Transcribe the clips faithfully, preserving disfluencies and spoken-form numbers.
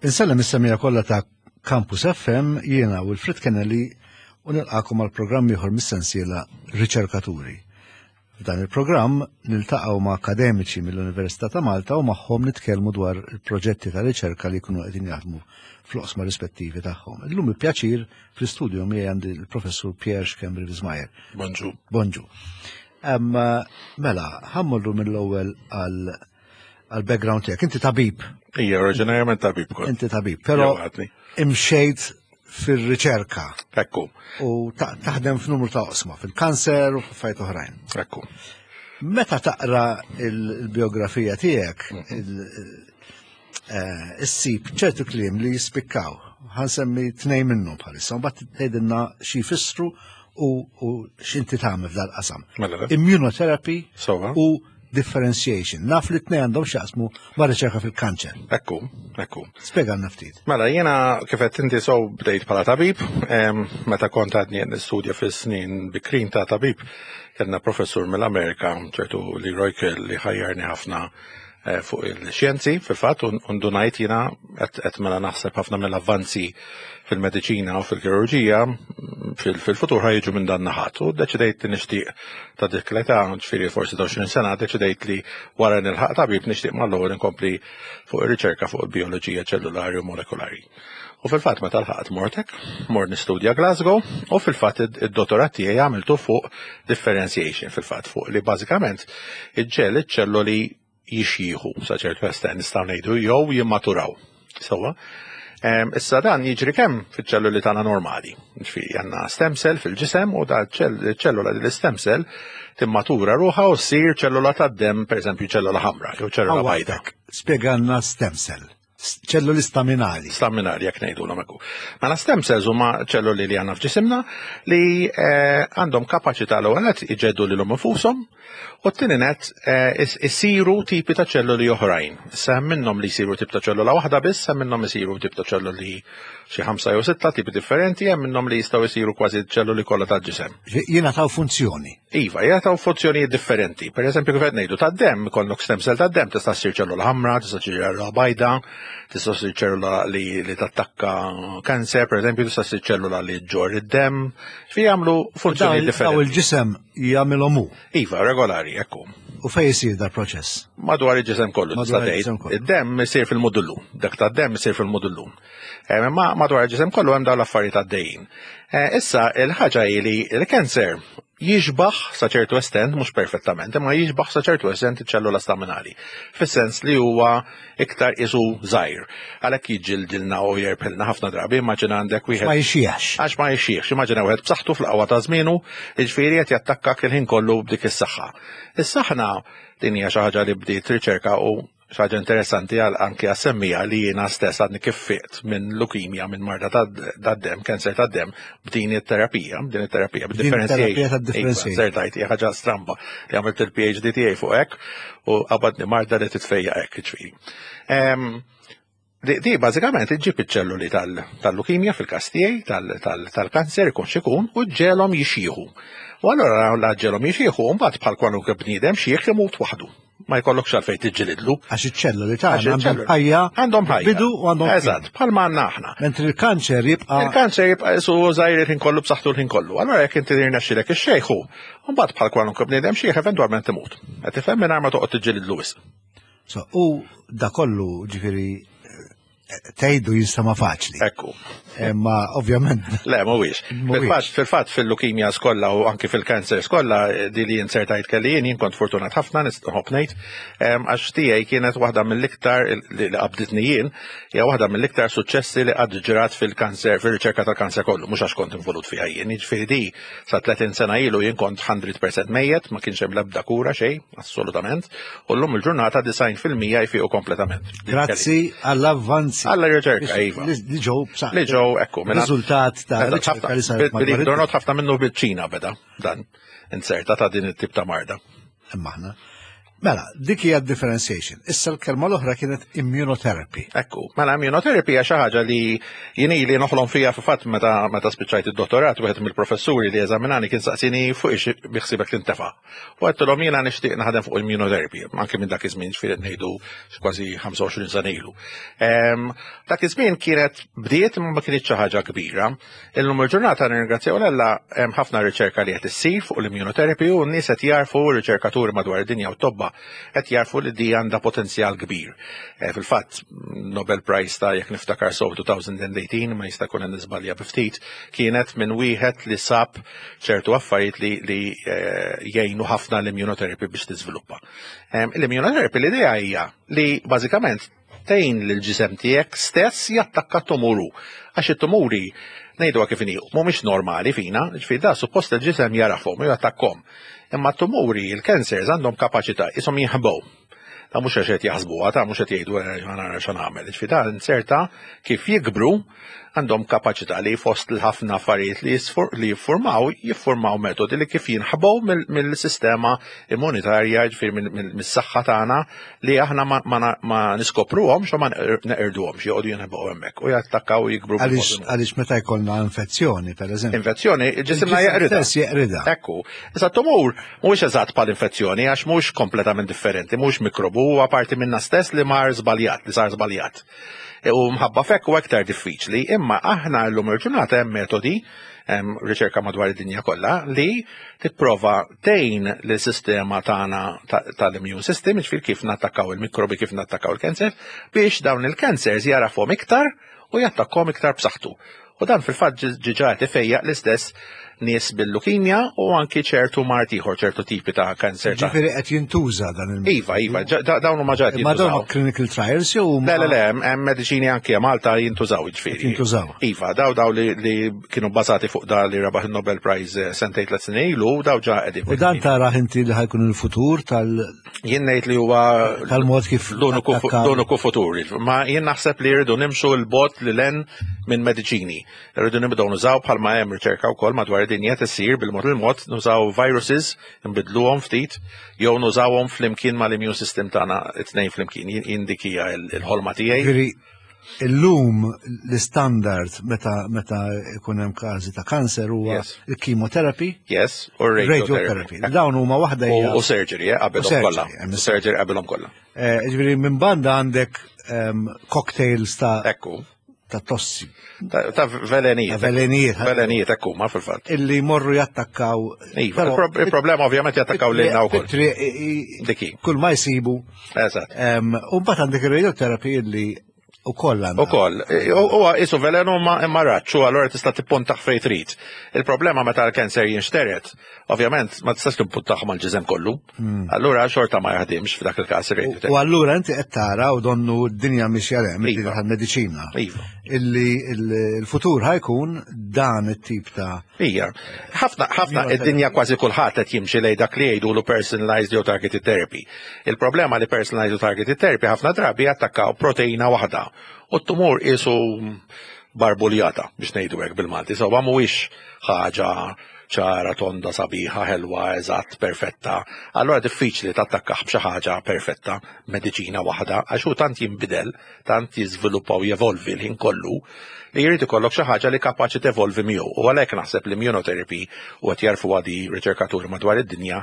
Insellem is-semmiegħa kollha ta' Campus F M, jiena Wilfred Kennelly u nilqakom għal programm ieħor mis-sensiela Riċerkaturi. F'dan il-programm niltaqgħu ma' akademiċi mill-Università ta' Malta u magħhom nitkellmu dwar il-proġetti ta' riċerka li jkunu qegħdin jaħdmu fl-oqsma rispettivi tagħhom. Illum il-pjaċir fl-istudju miegħi għandi il-Professur Pierre Schembri Wismayer. Bonġu. Bonġu. Mela, ħa mmorru mill-ewwel għal għal background tiegħek. Inti tabib. Ija, oriġinarjament tabib kont. Inti tabib, però imxejt fil-riċerka. Ekku. U taħdem f'numru ta' oqsma, fil-kanser u f'affarijiet oħrajn. Ekku. Meta taqra il-biografija tiegħek, eh, issib ċertu kliem li jispikkaw. Ħa nsemmi tnejn minnhom bħalissa, u mbagħad tgħidilna xi jfissru u x'inti tagħmel f'dal-qasam. Mela. Immunotherapy u differentiation. Naf li t-tnejn għandhom x'jaqsmu ma' riċerka fil-kanċer. Ekku, ekku. Spjegalna ftit. Mela, jiena kif qed inti so bdejt bħala tabib, meta kont għadni nistudja fis-snin bikrin ta' tabib, kellna professur mill-Amerika, ċertu Leroy Kill, li ħajjarni ħafna eh, fuq il-xjenzi, fil-fatt, undunajt jiena qed mela naħseb ħafna mill-avvanzi fil-mediċina u fil-kirurġija fil-futur ħa jiġu minn dan naħat. U deċidejt li nixtieq ta' dik l-età, ġifieri forsi għoxrin sena, deċidejt li wara nilħaq tabib nixtieq mal-ewwel inkompli fuq ir-riċerka fuq il-bioloġija ċellulari u molekulari. U fil-fatt meta lħaqt mortek, mort nistudja Glasgow, u fil-fatt id-dottorat tiegħi għamiltu fuq differentiation, fil-fatt fuq li bażikament iġġel iċ-ċelloli jixjieħu sa ċertu estent nistgħu ngħidu jew jimmaturaw. Sewwa. Issa dan jiġri kemm fiċ-ċelluli tagħna normali. Ġifieri għandna stem cell fil-ġisem u da ċellula l-stem cell timmatura ruħha u ssir ċellula tad-dem, pereżempju ċellula ħamra jew ċellula bajda. Spjegalna stem cell. Ċelluli staminali. Staminali, jekk ngħidu l Mela, stem cells huma ċelluli li għandna f'ġisimna li eh, għandhom kapaċità l-ewwel nett iġeddu lilhom infushom u t-tieni nett eh, isiru tipi ta' ċelluli oħrajn. Issa hemm minnhom li jsiru tip ta' ċellula waħda biss, hemm minnhom isiru tip ta' ċelluli xi ħamsa jew sitta tipi differenti, hemm minnhom li jistgħu jsiru kważi ċelluli kollha tal-ġisem. Jingħataw funzjoni. Iva, jingħataw funzjonijiet differenti. Per eżempju, kif qed ngħidu tad-dem, ikollok stem cell tad-dem, tista' ssir ċellula ħamra, tista' ssir ċellula bajda, tista' ssir ċellula li, li tattakka kanser, per eżempju, tista' ssir ċellula li ġġorr id-dem. Fi jagħmlu funzjonijiet differenti. Daw il-ġisem jagħmilhom hu. Iva, regolari, ekku. U fej jisir dal proċess? Madwar il-ġisem kollu, tista' tgħid. Id-dem isir fil-mudullu, dak tad-dem isir fil-mudullu. Eh, ma madwar il-ġisem kollu hemm dawn l-affarijiet għaddejjin. Eh, issa il-ħaġa hi li l-kanser jixbaħ sa ċertu estent, mhux perfettament, imma jixbaħ sa ċertu estent iċ-ċellula staminali. Fis-sens li huwa iktar isu żgħir. Għalhekk jiġġildilna u jerbħilna ħafna drabi, immaġina għandek wieħed. Ma jixjiex. Għax ma jixjiex, immaġina wieħed b'saħħtu fl-qawwa ta' żmienu, jiġifieri qed jattakkak il-ħin kollu b'dik is-saħħa. Issa aħna din hija xi ħaġa li bdiet riċerka u xi ħaġa interessanti għal anki għas-semmija li jiena stess għadni kif fiqt minn leukemia, minn marda tad-dem, kanser tad-dem, b'din it-terapija, b'din it-terapija, b'differentiation. Sertajt, hija ħaġa stramba li għamilt il-P H D tiegħi fuq hekk u qabadni marda li titfejja hekk, ġifieri. Di bażikament iġġib iċ-ċelluli tal-leukemia fil-każ tiegħi, tal-kanser ikun x'ikun, u ġġegħelhom jixjieħu. U allura la ġġegħelhom jixjieħu, mbagħad bħal kwalunkwe bniedem xieħ imut waħdu. Ma jkollokx għalfejn tiġġilidlu. Għax iċ-ċelluli tagħna għandhom ħajja. Għandhom ħajja. Bidu u għandhom. Eżatt, bħal ma għandna aħna. Mentri il-kanċer jibqa'. Il-kanċer jibqa' isu żgħir il-ħin kollu, b'saħħtu l-ħin kollu. Allura jekk inti tirnexxilek ixxejħu, mbagħad bħal kwalunkwe bniedem xieħ eventwalment imut. Qed tifhem, mingħajr ma toqgħod tiġġilidlu wisq. So, u da kollu ġifieri tgħidu jinstama' faċli. Ekku. Ma ovvjament. Le, mhuwiex. Fil-fatt, fil-fatt fil-leukemia kollha u anki fil-kanser kollha di li insertajt kelli jien, jien kont fortunat ħafna nistħobb ngħid, għax tiegħi kienet waħda mill-iktar li qabditni jien, hija waħda mill-iktar suċċessi li qatt ġrat fil-kanser, fil-riċerka tal-kanser kollu, mhux għax kont involut fiha jien. Jiġifieri di sa tletin sena ilu jien kont mija fil-mija mejjet, ma kienx hemm l-ebda kura xejn, assolutament, u llum il-ġurnata disgħin fil-mija jfiqu kompletament. Grazzi għall-avvanzi. Għalla riċerka, iva. Li ġew Li ġew, ekku. Riżultat ta' riċerka li saret. Bil ħafna minnu bil-Ċina beda dan, inserta ta' din it-tip ta' marda. Imma aħna. Mela, dik hija differentiation. Issa l-kelma l-oħra kienet immunotherapy. Ekku, mela immunotherapy hija xi ħaġa li jien ili noħlom fija. Fil-fatt meta meta spiċċajt id-dottorat, wieħed mill-professuri li eżaminani kien saqsini fuq ix biħsibek tintefa'. U għedtilhom jiena nixtieq naħdem fuq immunotherapy, anke minn dak iż-żmien, ġifieri ngħidu kważi ħamsa u għoxrin sena ilu. Ehm, Dak iż-żmien kienet bdiet imma ma kienx xi ħaġa kbira. Illum il-ġurnata, nirringrazzjaw l hemm ħafna riċerka li qed issir fuq l-immunotherapy u n-nies qed jarfu, riċerkaturi madwar id-dinja u tobba qed jarfu li di għandha potenzjal kbir. Eh, Fil-fatt, Nobel Prize ta', jekk niftakar sew, elfejn u tmintax, ma jista' jkun hemm niżbalja bi ftit, kienet minn wieħed li sab ċertu affarijiet li, li eh, jgħinu ħafna l-immunotherapy biex tiżviluppa. Em, L-immunotherapy, l-idea hija li bażikament tgħin lill-ġisem tiegħek stess jattakka t-tumuru. Għax it-tumuri, ngħidu kif inhi, mhumiex normali fina, ġifieri da suppost il-ġisem jarafhom u jattakkom. Imma t-tumuri, il-cancers, għandhom kapaċità ishom jinħbow. Ta' mhux għax qed jaħsbuha, ta' mhux qed jgħidu "Eh, ħa nara x'nagħmel". Ġifieri da inserta kif jikbru, għandhom kapaċità li fost l-ħafna affarijiet li jisfor- li jiffurmaw, jiffurmaw metodi li kif jinħbow mill- mill-sistema immunitarja, ġifieri mill- mill- mis-saħħa tagħna, li aħna ma, ma, ma niskopruhomx u ma neqirduhomx, joqogħdu jinħbow hemmhekk u jattakkaw u jikbru. Għaliex għaliex meta jkollna infezzjoni, per eżempju. Infezzjoni, ġisimna il-ġisem jeqridha. stess jeqridha. Ekku, issa tumur mhuwiex eżatt bħal infezzjoni għax mhux kompletament differenti, mhux mikrobu, huwa parti minna stess li mar żbaljat, li sar żbaljat. E, U mħabba f'hekk u aktar diffiċli, imma aħna llum il-ġurnata hemm metodi, hemm riċerka madwar id-dinja kollha li tipprova tgħin lis-sistema tagħna ta- tal-immune system, ġifier kif nattakkaw il-mikrobi, kif nattakkaw il-cancer, biex dawn il-cancers jarafhom iktar u jattakkom iktar b'saħħtu. U dan fil-fatt diġà qed ifejjaq l-istess nies bil-lukimja u anki ċertu mard ieħor, ċertu tipi ta' kanser. ta' Ġifieri qed jintuża dan il Iva, iva, ġa- da- dawn huma ġa qed Ma dawn jintużaw. clinical trials jew huma Le, le, le, hemm- hemm mediċini anki Malta jintużaw, ġifieri. Jintużaw. Iva, daw daw li, li kienu bbażati fuq da li rebaħ il-Nobel Prize eh, sentejn, tliet snin ilu, daw ġa qegħdin. U dan tara inti li ħa jkun il-futur tal Jien ngħid li huwa tal-mod kif l-uniku attakkaw- l-uniku futur. Ma jien naħseb li rridu nimxu 'l bogħod lil hinn minn mediċini. Rridu nibdew nużaw, bħalma hemm riċerka wkoll madwar id-dinja tisir, bil-mod il-mod nużaw viruses, nbidluhom ftit, jew nużawhom flimkien mal-immune system tagħna, it-tnejn flimkien. Jien jien dik hija il-ħolma tiegħi. Ġifieri illum l-standard meta meta ikun hemm każi ta' kanser huwa Yes. il-chemotherapy, Yes, u radiotherapy. radiotherapy. Dawn huma waħda hija U u surgery, eh, U qabelhom surgery, kollha. hemm U surgery qabelhom kollha. Eh, Ġifieri minn banda għandek ehm, cocktails ta' Ekku. ta' tossi, Ta' ta' velenijiet. Ta' velenijiet. Velenijiet, ekku, ma fil-fatt. Illi jmorru jattakkaw. Iva, Però- il-pro- il-problema ovvjament jattakkaw lilna wkoll. Fit-triq, i- i- Diki. Kull ma jsibu. Eżatt. Ehm, U mbagħad għandek ir-radiotherapy illi ukoll għandha. U koll, huwa isu velenu ma imma raġġ, u allura tista' tippuntaħ fejn trid. Il-problema meta l-kanser jinxteret, ovvjament ma tistax tippuntaħ mal-ġisem kollu. Allura xorta ma jaħdimx f'dak il-każ U ir-radiotherapy. allura inti qed tara, u donnu d-dinja mixja hemm, Iva. id-dinja tal-mediċina. Iva. Illi il- il-futur ħa jkun dan it-tip ta' Ija, ħafna ħafna id-dinja kważi kulħadd qed jimxi lejn dak li jgħidulu personalized jew targeted therapy. Il-problema li personalized u targeted therapy ħafna drabi jattakkaw proteina waħda. U t-tumur isu barbuljata, biex ngħidu hekk bil-Malti. So mhuwiex ħaġa ċara, tonda, sabiħa, ħelwa, eżatt, perfetta. Allora diffiċli tattakkaħ b'xi ħaġa perfetta, mediċina waħda, għax hu tant jinbidel, tant jiżviluppa u jevolvi l-ħin kollu, li jrid ikollok xi ħaġa li kapaċi tevolvi miegħu. U għalhekk naħseb li immunotherapy, u qed jarfu għadi riċerkaturi madwar id-dinja,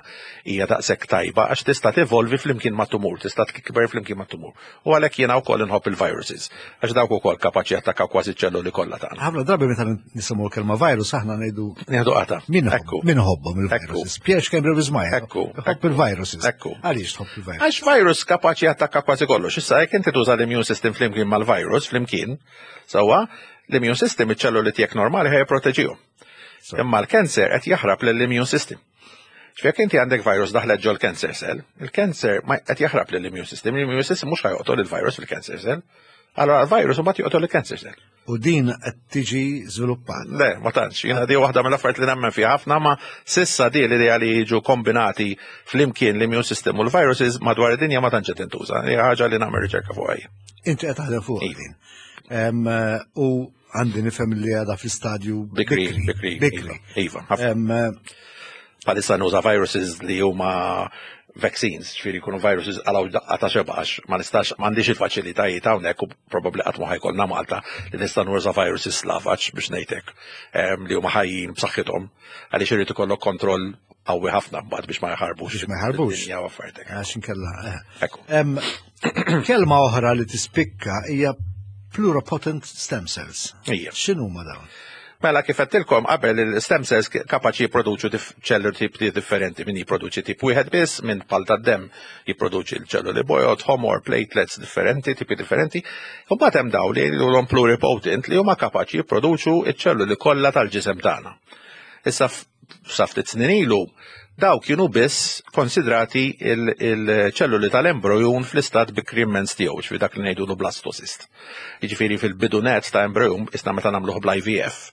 hija daqshekk tajba għax tista' tevolvi flimkien ma' tumur, tista' tikber flimkien ma' tumur. U għalhekk jiena wkoll inħobb il-viruses, għax dawk ukoll kapaċi jattakkaw kważi ċelluli kollha tagħna. Ħafna drabi meta nisimgħu l-kelma virus aħna ngħidu Nieħdu qata. min Ekku. min ħobbhom il-viruses. Pierre Schembri Wismayer. Ekku. Ħobb il-viruses. Ekku. Għaliex tħobb il-virus? Għax virus kapaċi jattakka kważi kollox. Issa jekk inti tuża l-immune system flimkien mal-virus flimkien, sewwa, l-immune system iċ-ċelluli tiegħek normali ħaj jipproteġihom. Imma l-cancer qed jaħrab lill-immune system. Ġifieri inti għandek virus daħlet ġol cancer cell, il-cancer ma qed jaħrab lill-immune system, l-immune system mhux ħa joqtol il-virus fil-cancer cell. Allora l-virus mbagħad joqtol il-cancer cell. U din qed tiġi żviluppata. Le, ma tantx. Jiena di waħda mill-affarijiet li nemmen fiha ħafna, ma sissa di l-idea li jiġu kombinati flimkien l-immune system u l-viruses madwar id-dinja ma tantx qed tintuża. Hija ħaġa li nagħmel riċerka fuqha jien. Inti qed taħdem fuq Iva. din. Em, U għandi nifhem li għadha fl-istadju Bikri, bikri, Bikri. Iva, iva, ħafna. Em, Bħalissa nuża viruses li huma vaccines, ġifieri jkunu viruses għalaw daqqa ta' xebax, ma nistax, m'għandix il-faċilitajiet hawnhekk u probabbli qatt ma ħajkollna Malta li nista' nuża viruses slavaġ biex ngħidlek li huma ħajjin b'saħħithom, għaliex irid ikollok kontroll qawwi ħafna mbagħad biex ma jħarbux. Biex ma jħarbux. Dinja u affarijiet. Għax inkella. Kelma oħra li tispikka hija pluripotent stem cells. Ija. X'inhuma dawn? Mela kif għedtilkom qabel, il-stem cells kapaċi jipproduċu ċelluli tipi differenti, min jipproduċi tip wieħed biss, min bħal tad-demm jipproduċi l-ċelluli bojod, ħomor, platelets differenti, tipi differenti. U mbagħad hemm dawn li huma pluripotent, li huma kapaċi jipproduċu ċ-ċelluli kollha tal-ġisem tagħna. Issa sa ftit snin ilu daw kienu biss konsidrati il-ċelluli tal-embryon fl-istat bikri immens tiegħu, ġifieri dak li ngħidu blastocyst. Jiġifieri fil-bidu net ta' embryon, isna meta nagħmluh bl-I V F.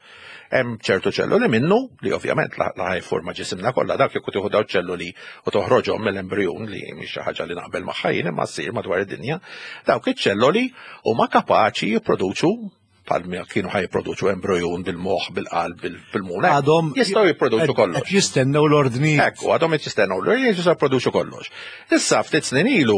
Hemm ċertu ċelluli minnu li ovvjament la ħajforma ġisimna kollha. Dak jekk tieħu daw ċelluli u toħroġhom mill-embryon, li mhix xi ħaġa li naqbel magħha jien imma ssir madwar id-dinja, dawk iċ-ċelluli huma kapaċi jipproduċu bħal kienu ħaj jipproduċu embryon bil-moħ, bil-qalb, bil-pulmun. Għadhom jistgħu jipproduċu kollox. Qed jistennew l-ordni. Ekku, għadhom qed jistennew l-ordni, jistgħu jipproduċu kollox. Issa ftit snin ilu,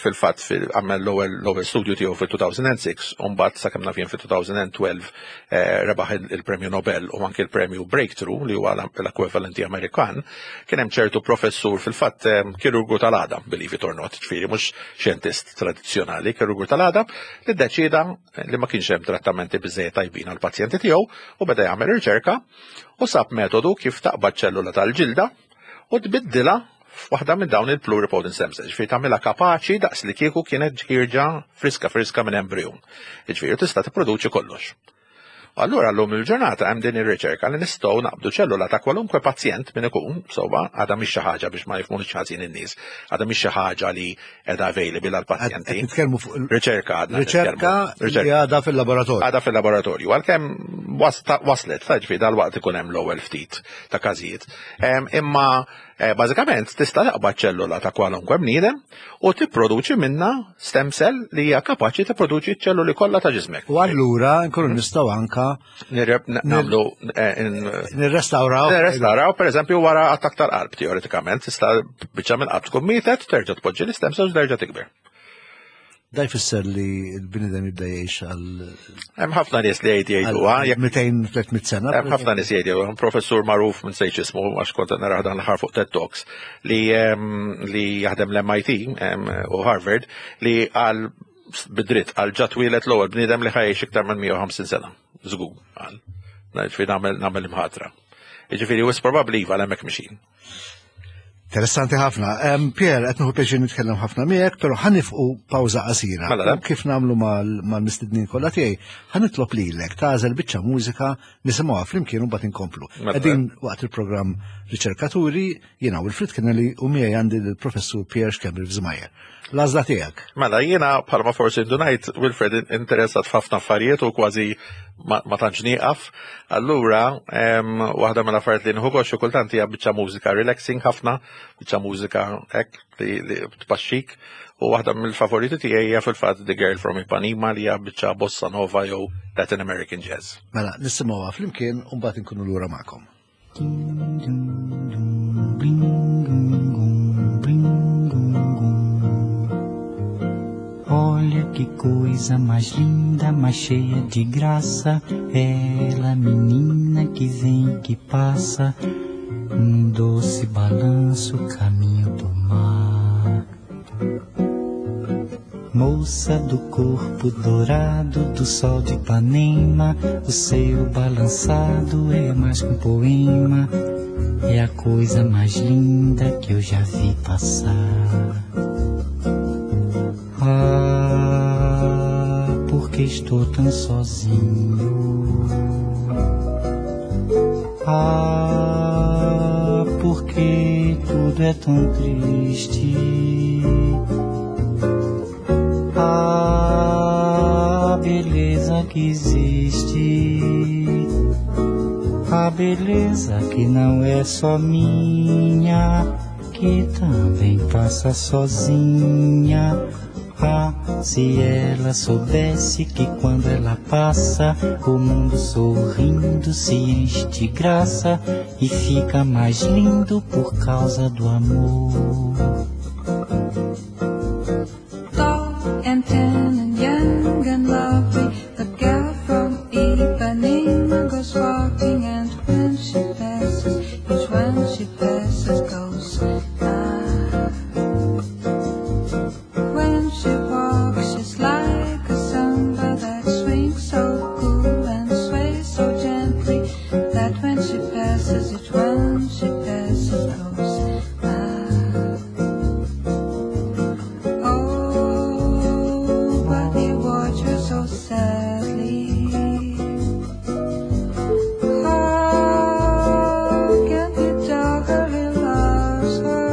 fil-fatt għamel l-ewwel studju tiegħu fil-elfejn u sitta, u mbagħad sakemm naf jien fil-elfejn u tnax eh, rebaħ il-Premju Nobel u anke il-Premju Breakthrough, li huwa l-ekwivalenti Amerikan. Kien hemm ċertu professur, fil-fatt kirurgu tal-għadam, believe it or not, ġifieri mhux xjentist tradizzjonali, kirurgu tal-għadam, li ddeċida li ma kienx hemm trattamenti biżejjed tajbin għal pazjenti tiegħu u beda jagħmel riċerka u sab metodu kif taqbad ċellula tal-ġilda u tbiddilha f'waħda minn dawn il-pluripotent stem cells, ġifieri tagħmilha kapaċi daqs li kieku kienet ħierġa friska friska minn embryon. Ġifieri tista' tipproduċi kollox. Allura llum il-ġurnata hemm din ir-riċerka li nistgħu naqbdu ċellula ta' kwalunkwe pazjent min ikun, sewwa, għadha mhix xi ħaġa, biex ma jifhmunix ħażin in-nies, għadha mhix xi ħaġa li qiegħda available għall-pazjenti. Nitkellmu fuq riċerka għadna. Riċerka li għadha fil-laboratorju. Għadha fil-laboratorju, għalkemm waslet, ta' ġifieri dal-waqt ikun hemm l-ewwel ftit ta' każijiet. Imma eh, bażikament tista' taqbad ċellula ta' kwalunkwe bniedem u tipproduċi minna stem cell li hija kapaċi tipproduċi ċelluli kollha ta' ġismek. U allura nkunu nistgħu anka nagħmlu eh, nirrestawraw. Nirrestawraw, per eżempju, wara attak tal-qalb, teoretikament, tista' biċċa mill-qalb tkun mietet, terġa' tpoġġi l-istem cells, terġa' tikber. Da jfisser li l-bniedem jibda jgħix għal Hemm ħafna nies li jgħid jgħidu, jekk mitejn tliet mitt sena. Hemm ħafna nies jgħidu, hemm professur magħruf, minn sejx ismu għax kont narah dan l-aħħar fuq TED Talks, li li jaħdem l-M I T u Harvard, li għal bidritt għal ġat twieled l-ewwel bniedem li ħajx iktar minn mija u ħamsin sena. Żgur, għal. Ġifieri nagħmel nagħmel imħatra. Jiġifieri wis probabbli iva, hemmhekk mixin. Interessanti ħafna. Um, Pierre, qed nieħu pjaċir nitkellem ħafna miegħek, però ħa nieqfu pawża qasira. Mela, U kif nagħmlu mal-mistednin kollha tiegħi, ħa nitlob lilek tagħżel biċċa mużika, nisimgħuha flimkien u mbagħad inkomplu. Mela. Qegħdin waqt il-programm Riċerkaturi, jiena Wilfred Kennelly u miegħi għandi l-professur Pierre Schembri Wiesemeyer. L-għażla tiegħek. Mela, jiena bħalma forsi indunajt, Wilfred, interessat f'ħafna affarijiet u kważi ma, ma tantx nieqaf. Allura, em, waħda mill-affarijiet li nieħu gost xi kultant hija biċċa mużika relaxing ħafna, biċċa mużika hekk li, li tpaxxik. U waħda mill-favoriti tiegħi hija fil-fatt The Girl from Ipanema, li hija biċċa bossa nova jew Latin American jazz. Mela, nisimgħuha flimkien u mbagħad inkunu lura magħkom. Dum, dum, dum, bling, gum, bling, gum, gum. Olha que coisa mais linda, mais cheia de graça. Ela, menina que vem e que passa, num doce balanço, caminho do mar. Moça do corpo dourado do sol de Ipanema, o seu balançado é mais que um poema, é a coisa mais linda que eu já vi passar. Ah, porque estou tão sozinho? Ah, porque tudo é tão triste? Ah, a beleza que existe, a beleza que não é só minha, que também passa sozinha. Ah, se ela soubesse que quando ela passa, o mundo sorrindo se enche de graça e fica mais lindo por causa do amor. Tall and tan and young and lovely, the girl from Ipanema goes walking, and when she passes, each one she passes goes ah. When she walks, she's like a samba that swings so cool and sways so gently that when she passes, each one she passes goes ah. Oh, but he watches so sadly. How can he tell her he loves her?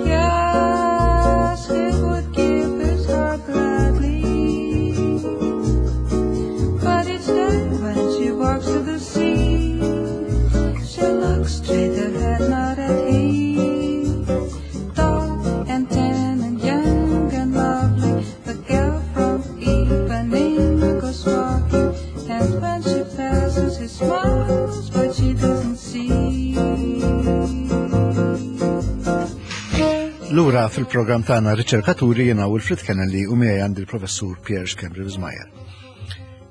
Yes, he would give his heart gladly. But each day when she walks to the sea, she looks straight ahead, not at him. Tall and tan and young and lovely, the girl from Ipanema goes walking, and when she passes, he smiles, but she doesn't see. Lura fil-programm tagħna Riċerkaturi, jiena Wilfred Kennelly u miegħi għandi l-professur Pierre Schembri Wismayer.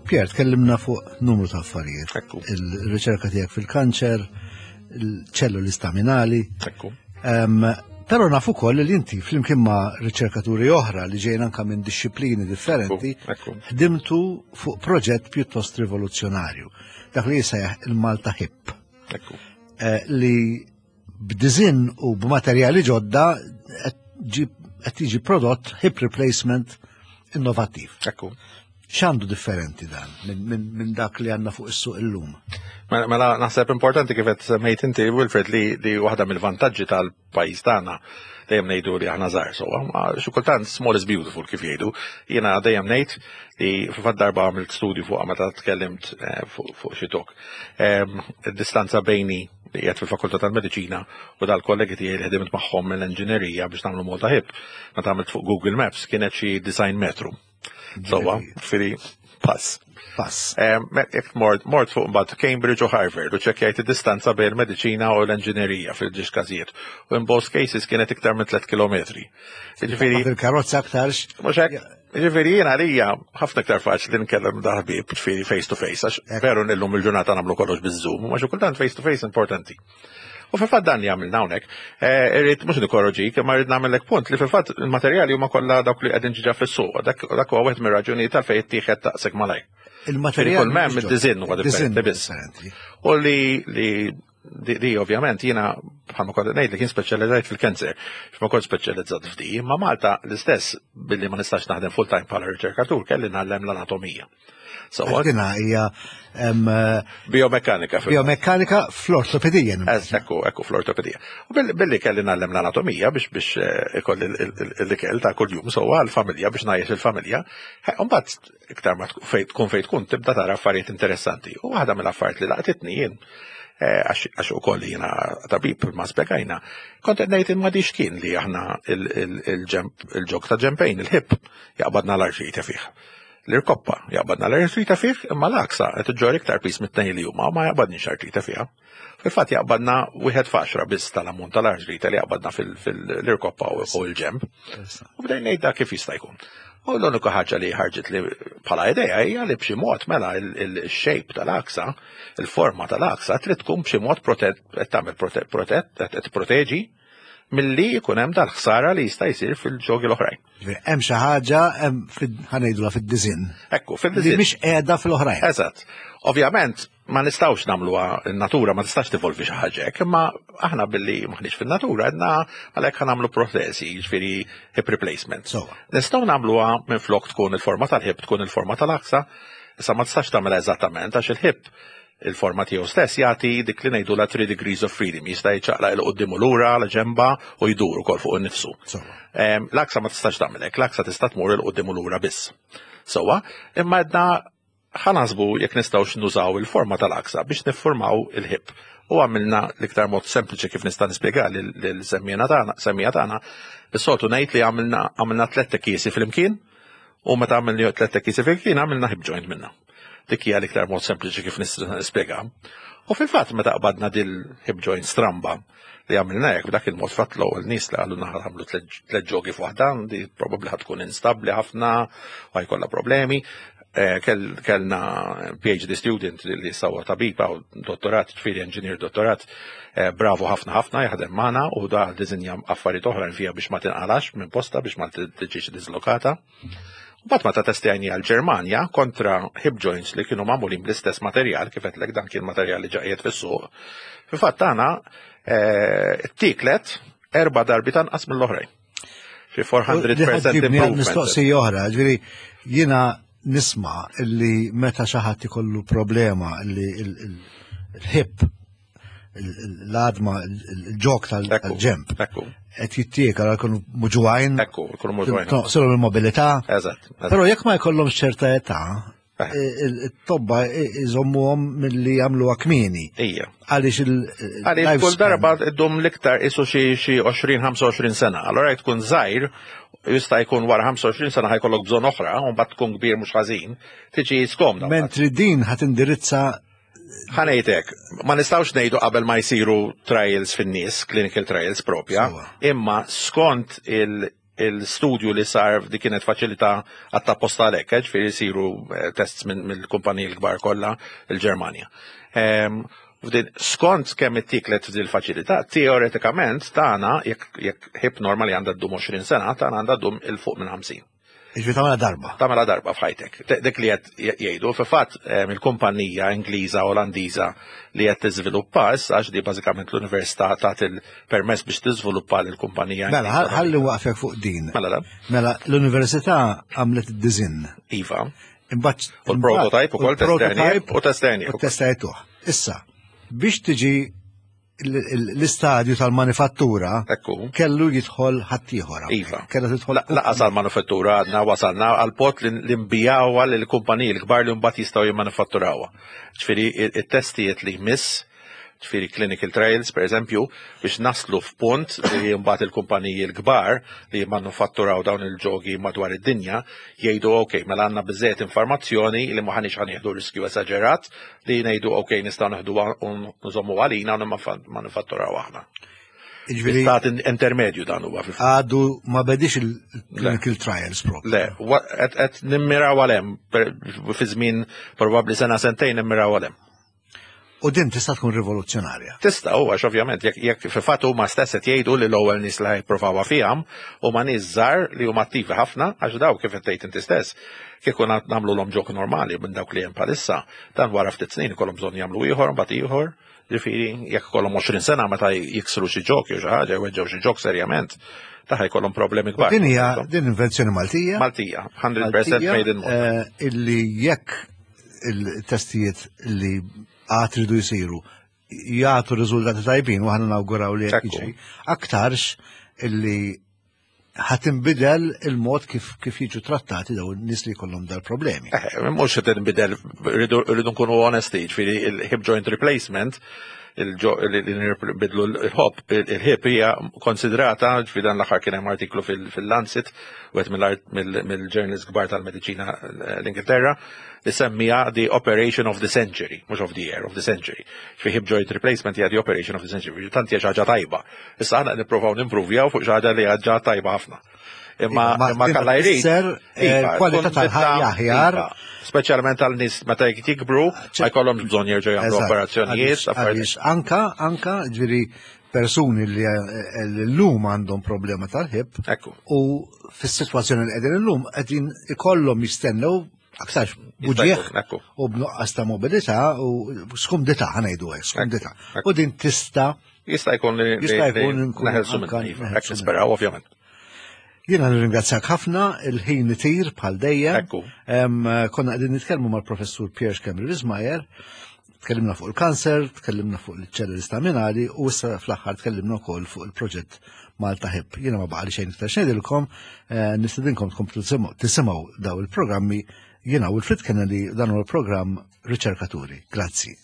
Pierre, tkellimna fuq numru ta' affarijiet. Ekku. Il-riċerka tiegħek fil-kanċer, il-ċelluli staminali. Ekku. Em, Però nafu ukoll li inti flimkien ma' riċerkaturi oħra li ġejna anka minn disċiplini differenti, Ekku. ħdimtu fuq proġett pjuttost rivoluzzjonarju, dak li jisejjaħ il-Malta Hip, Ekku. eh, li b'design u b'materjali ġodda qed ġi- qed jiġi prodott hip replacement innovattiv. Ekku. X'għandu differenti dan minn min, min dak li għandna fuq is-suq illum? Mela, mela naħseb importanti kif qed semmejt inti, Wilfred, li, li waħda mill-vantaġġi tal-pajjiż tagħna, dejjem ngħidu li aħna żgħar sewwa, ma xi kultant small is beautiful kif jgħidu. Jiena dejjem ngħid li fil-fatt darba għamilt studju fuq meta tkellimt eh, fuq fuq xi talk. Em, Id-distanza bejni li qiegħed fil-Fakultà tal-Mediċina u dal-kollegi tiegħi li ħdimt magħhom mill-enġinerija biex nagħmlu Malta Hip, meta għamilt fuq Google Maps kienet xi disgħin metru. Sewwa, ġifieri pass. Pass. Jekk mort mort fuq mbagħad Cambridge u Harvard u ċekkjajt id-distanza bejn il-mediċina u l-enġinerija fil-ġiex każijiet. U in both cases kienet iktar minn tliet kilometri. Ġifieri, Fil-karozza aktarx. Mhux hekk, ġifieri jiena għalija ħafna iktar faċli nkellem dal-ħbieb, ġifieri face to face, għax veru illum il-ġurnata nagħmlu kollox biż-Zoom, ma xi kultant face to face importanti. U fil-fatt dan li għamilna hawnhekk, eh, irrid mhux nikkorroġik, imma rrid nagħmellek punt li fil-fatt il-materjali huma kollha dawk li qegħdin ġiġa fis-suq, dak dak huwa wieħed mir-raġunijiet tal-fejn ittieħed taqsek malajr. Il-materjal. Kull m'hemm id-design huwa differenti biss. Differenti. U li li di, di ovvjament jiena bħalma kont ngħid li kien speċjalizzat fil-kanser, ma kont speċjalizzat f'di, imma Malta l-istess billi ma nistax naħdem full time bħala riċerkatur kelli ngħallem l-anatomija. So, Dina hija em, biomekkanika fil biomekkanika fl-ortopedija. Ez, ekku, ekku, fl-ortopedija. U billi, billi kelli ngħallem l-anatomija biex biex eh, ikolli l-ikel ta' kuljum sewwa għal-familja biex ngħajjex il-familja. Mbagħad iktar ma tkun fejn tkun fejn tkun tibda tara affarijiet interessanti. U waħda mill-affarijiet li laqtitni jien eh, għax għax ukoll jiena tabib ma spjegajna, kont qed ngħid imma dix kien li aħna il-ġemp il-ġog ta' ġempejn, il-hip, jaqbadna l-artrite fih. L-irkoppa jaqbadna l-artrite fih, imma l-aksa qed iġġorr iktar piż mit-tnejn li huma ma jaqbadniex artrite fiha. Fil-fatt jaqbadna wieħed f'għaxra biss tal-ammont tal-artrite li jaqbadna fil-irkoppa u l-ġemp. U bdejn ngħid dak kif jista' jkun. U l-unika ħaġa li ħarġet li bħala idea hija li b'xi mod mela il-shape tal-aksa, il-forma tal-aksa trid tkun b'xi mod protett, qed tagħmel protett, qed proteġi milli jkun hemm dal-ħsara li jista' jsir fil-ġogi l-oħrajn. Hemm xi ħaġa hemm ħa ngħidulha fid-design. Ekku, Li fid-design. mhix qiegħda fil-oħrajn. Eżatt. Ovvjament, ma nistgħux nagħmluha, in-natura ma tistax tivolvi xi ħaġa hekk, imma aħna billi maħniex fin-natura għedna għalhekk ħa nagħmlu protesi, jiġifieri hip replacement. Sewwa. Nistgħu nagħmluha minn flok tkun il-forma tal-hip tkun il-forma tal-aksa, issa ma tistax tagħmilha eżattament għax il-hip il-forma tiegħu stess jagħti dik li ngħidu la three degrees of freedom, jista' jiċċaqlaq 'il quddiem u lura la ġemba u jdur ukoll fuq innifsu. Sewwa. Em, L-aksa ma tistax tagħmel hekk, l-aksa tista' tmur 'il quddiem u lura biss. Sewwa, imma għedna Ħa naħsbu jekk nistgħux nużaw il-forma tal-għaksa biex niffurmaw il-hip. U għamilna l-iktar mod sempliċi kif nista' nispjega lil-semmiegħa tagħna, semmiegħa tagħna, is-soltu ngħid li għamilna għamilna tliet tekkiesi flimkien u meta għamilna tliet tekkiesi flimkien għamilna hip joint minna. Dik hija l-iktar mod sempliċi kif nista' nispjega. U fil-fatt meta qbadna dil-hip joint stramba li għamilna hekk b'dak il-mod fatt l-ewwel nies li qalulna ħa tagħmlu tliet ġogi f'waħda, di probabbli ħa tkun instabbli ħafna u ħa jkollha problemi. Eh, kellna P H D student li sawa tabiba u dottorat, ġifieri engineer dottorat, eh, bravo ħafna ħafna jaħdem magħna u da disinja affarijiet oħra fija biex ma tinqalax minn posta biex ma tiġix dislokata. U mbagħad meta testjajni għal-Ġermanja kontra hip joints li kienu magħmulin bl-istess materjal, kif għedtlek dan kien materjal li ġa qiegħed fis-suq. Fil-fatt tagħna eh, ittieklet erba' darbiet anqas mill-oħrajn. Fi four hundred percent improvement. Mistoqsija oħra, ġifieri jiena nisma' illi meta xi ħadd ikollu problema illi il-hip, l-għadma, il-ġog tal-ġemp. Qed jittiekel għal jkunu muġugħin. Ekku, jkunu muġugħin. Tonqsilhom il-mobilità. Eżatt. Però jekk ma jkollhomx ċerta età, it-tobba iżommuhom milli jagħmluha kmieni. Ija. Għaliex il- Għaliex kull darba ddum l-iktar isu xi xi għoxrin ħamsa u għoxrin sena. Allora tkun żgħir, jista' jkun wara ħamsa u għoxrin sena ħa jkollok bżonn oħra, u mbagħad tkun kbir mhux ħażin, tiġi skomda. Mentri din ħa tindirizza Ħa ngħidlek, ma nistgħux ngħidu qabel ma jsiru trials fin-nies, clinical trials propja, imma skont il- il-studju li sar di kienet faċilità għatta għalhekk, ġifieri jsiru eh, tests mill-kumpaniji l-kbar kollha il-Ġermanja. Skont kemm ittieklet f'dil faċilità, teoretikament tagħna jekk hip normali għandha ddum għoxrin sena, tagħna għandha ddum 'il fuq minn ħamsin. Ġifieri tagħmilha darba. Tagħmilha darba f'ħajtek. Dik li qed jgħidu, fil-fatt il-kumpanija Ingliża Olandiża li qed tiżviluppa issa għax di bażikament l-università tat il-permess biex tiżviluppa l-kumpanija. Mela, ħalli waqfek fuq din. Mela, Mela, l-università għamlet id-design. Iva. Imbagħad U l-prototype ukoll testjajnieh u testjajnieh. U testjajtuh. Issa, biex tiġi l-istadju tal-manifattura Ekku. kellu jidħol ħaddieħor. Iva. Kellu tidħol. Lanqas għal-manifattura għadna wasalna għal-punt li nbigħuha l-kumpaniji l-kbar li mbagħad jistgħu jimmanifatturawha. Ġifieri it-testijiet li jmiss, ġifieri clinical trials, per eżempju, biex naslu f'punt li mbagħad il-kumpaniji l-kbar li jimmanufatturaw dawn il-ġogi madwar id-dinja jgħidu: "Ok, mela għandna biżejjed informazzjoni li ma ħanix ħa nieħdu riskju esaġerat li ngħidu ok, nistgħu neħdu u nżommu għalina u manifatturaw aħna." Ġifieri Stat intermedju dan huwa fil Għadu ma bedix il-clinical trials propju. Le, qed nimmiraw għal hemm, fi żmien probabbli sena sentejn nimmiraw għal hemm. U din tista' tkun rivoluzzjonarja. Tista' u għax ovvjament jekk jekk fil-fatt huma stess qed jgħidu li l-ewwel nies li ħa jipprovawha fihom huma nies żgħar li huma attivi ħafna, għax daw kif qed tgħid inti stess, kieku nagħmlu l ġog normali minn dawk li hemm bħalissa, dan wara ftit snin ikollhom bżonn jagħmlu ieħor, mbagħad ieħor. Ġifieri jekk ikollhom għoxrin sena meta jiksru xi ġog jew xi ħaġa, jweġġgħu xi ġog serjament, ta' jkollhom problemi kbar. Din hija din invenzjoni Maltija. Maltija, mija fil-mija made in Malta. Eh, illi jekk il-testijiet li għad ridu jisiru jagħtu riżultati tajbin, u aħna nawguraw li jekk Ekku. jiġri, aktarx illi ħa tinbidel il-mod kif kif jiġu trattati daw n-nies li jkollhom dal-problemi. Eh, mhux qed tinbidel, rridu rridu nkunu onesti, ġifieri il-hip joint replacement, li nbidlu l-hop, il-hip hija konsidrata, ġifieri dan l-aħħar kien hemm artiklu fil-Lancet, wieħed mill-journals kbar tal-mediċina l-Ingilterra, li semmija the operation of the century, mhux of the year, of the century. Fi hip joint replacement hija the operation of the century, tant hija xi ħaġa tajba. Issa aħna nippruvaw nimprovjaw fuq xi ħaġa li ġa tajba ħafna. Imma Iva, imma kalla jrid. Tfisser, eh, Iva, kwalità tkun tal-ħajja bidla- aħjar. Iva, speċjalment għal nies meta jikbru, ma jkollhomx bżonn jerġgħu jagħmlu Eżatt, operazzjonijiet, għaliex- affarijiet. Għaliex anka, anka, ġifieri persuni li eh, l-lum għandhom problema tal-hip Ekku. u fis-sitwazzjoni li qegħdin illum qegħdin ikollhom jistennew aktarx buġieħ jkun, ekku. u b'nuqqas ta' mobilità u skumdità, ħa ngħidu hekk, skumdità. Ekku. U din tista' Jista' jkun li Jista' li- jkun li nkunu neħelsu anka minn iva, neħelsu hekk nisperaw ovvjament. Jiena nirringrazzjak ħafna, il-ħin itir bħal dejjem. Ekku. Em, Konna qegħdin nitkellmu mal-professur Pierre Schembri Wismayer, tkellimna fuq il-kanser, tkellimna fuq il-ċelluli staminali u issa fl-aħħar tkellimna wkoll fuq il-proġett Malta Hip. Jiena ma baqali xejn iktar x'ngħidilkom, eh, nistedinkom tkomplu tisimgħu tisimgħu daw il-programmi. Jiena Wilfred Kennedy, dan huwa l-programm Riċerkaturi. Grazzi.